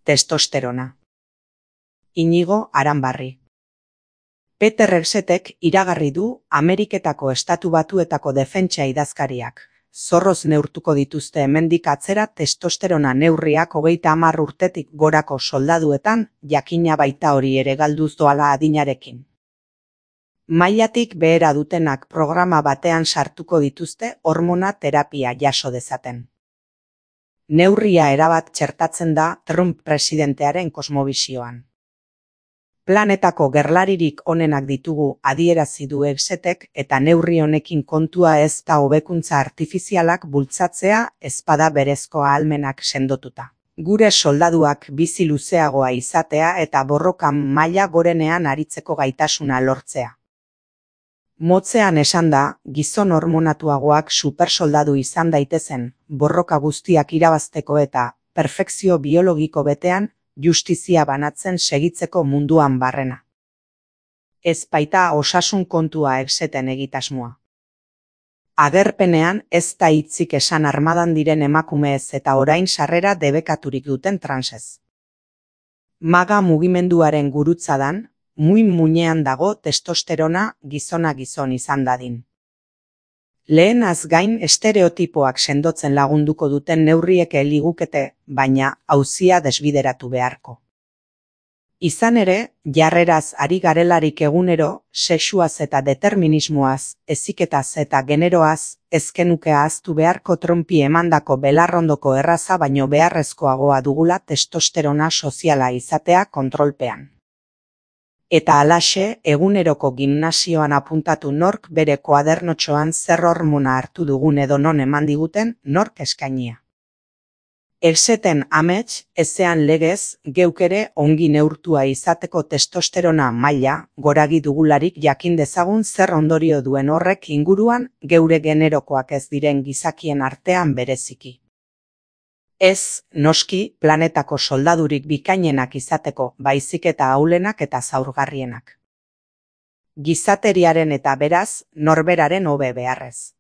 testosterona. Inigo Aranbarri. Peter Ersetek iragarri du Ameriketako Estatu Batuetako defentsa idazkariak zorroz neurtuko dituzte hemendik atzera testosterona neurriak 30 urtetik gorako soldaduetan, jakina baita hori ere galduz doala adinarekin. Mailatik behera dutenak programa batean sartuko dituzte hormona terapia jaso dezaten. Neurria erabat txertatzen da Trump presidentearen kosmobisioan. Planetako gerlaririk onenak ditugu adierazi du Ersetek eta neurri honekin kontua ez da hobekuntza artifizialak bultzatzea ezpada berezko ahalmenak sendotuta. Gure soldaduak bizi luzeagoa izatea eta borrokan maila gorenean aritzeko gaitasuna lortzea. Motzean esan da, gizon hormonatuagoak supersoldadu izan daitezen, borroka guztiak irabazteko eta perfekzio biologiko betean, justizia banatzen segitzeko munduan barrena. Ez baita osasun kontua Erseten egitasmoa. Agerpenean ez da hitzik esan armadan diren emakumeez eta orain sarrera debekaturik duten transez. Maga mugimenduaren gurutzadan, muinean dago testosterona gizona gizon izan dadin. Lehenaz gain estereotipoak sendotzen lagunduko duten neurriek ligukete, baina auzia desbideratu beharko. Izan ere, jarreraz ari garelarik egunero, sexuaz eta determinismoaz, heziketaz eta generoaz, ezkenuke ahaztu beharko Trumpi emandako belarrondoko erraza baino beharrezkoagoa dugula testosterona soziala izatea kontrolpean. Eta halaxe, eguneroko gimnasioan apuntatu nork bere koadernotxoan zer hormona hartu dugun edo non eman diguten nork eskainia. Erseten amets, ezean legez, geuk ere ongi neurtua izateko testosterona maila, goragi dugularik jakin dezagun zer ondorio duen horrek inguruan geure generokoak ez diren gizakien artean bereziki. Ez, noski, planetako soldadurik bikainenak izateko, baizik eta ahulenak eta zaurgarrienak. Gizateriaren eta beraz, norberaren hobe beharrez.